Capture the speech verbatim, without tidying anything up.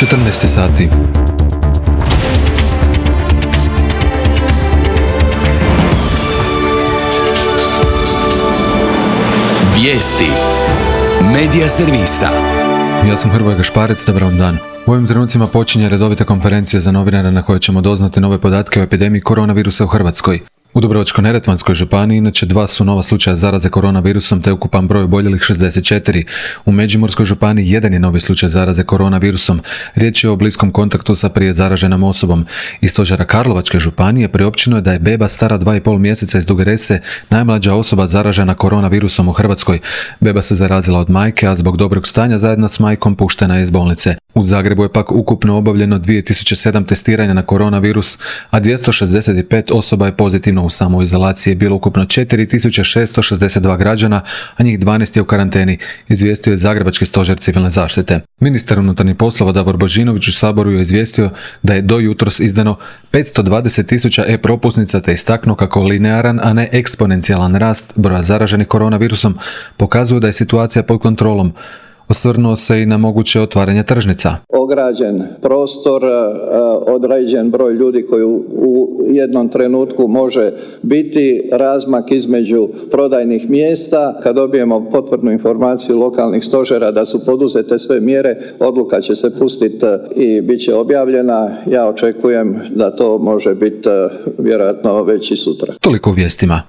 četrnaest sati. Vijesti Medija servisa. Ja sam Hrvoje Gašparec, dobar vam dan. U ovim trenucima počinje redovita konferencija za novinare na kojoj ćemo doznati nove podatke o epidemiji koronavirusa u Hrvatskoj. U Dubrovačko-neretvanskoj županiji inače dva su nova slučaja zaraze koronavirusom te ukupan broj oboljelih šezdeset četiri. U Međimurskoj županiji jedan je novi slučaj zaraze koronavirusom. Riječ je o bliskom kontaktu sa prije zaraženom osobom. Iz stožera Karlovačke županije priopćeno je da je beba stara dva i pol mjeseca iz Duge Rese najmlađa osoba zaražena koronavirusom u Hrvatskoj. Beba se zarazila od majke, a zbog dobrog stanja zajedno s majkom puštena je iz bolnice. U Zagrebu je pak ukupno obavljeno dvije tisuće sedam testiranja na koronavirus, a dvjesto šezdeset pet osoba je pozitivno. U samoizolaciji je bilo ukupno četiri tisuće šesto šezdeset dva građana, a njih dvanaest je u karanteni, izvijestio je Zagrebački stožer civilne zaštite. Ministar unutarnjih poslova Davor Božinović u Saboru je izvijestio da je do jutros izdano petsto dvadeset tisuća e-propusnica te istaknuo kako linearan, a ne eksponencijalan rast broja zaraženih koronavirusom pokazuje da je situacija pod kontrolom. Osvrnuo se i na moguće otvaranje tržnica. Ograđen prostor, određen broj ljudi koji u jednom trenutku može biti, razmak između prodajnih mjesta. Kad dobijemo potvrdnu informaciju lokalnih stožera da su poduzete sve mjere, odluka će se pustiti i bit će objavljena. Ja očekujem da to može biti vjerojatno već i sutra. Toliko u vijestima.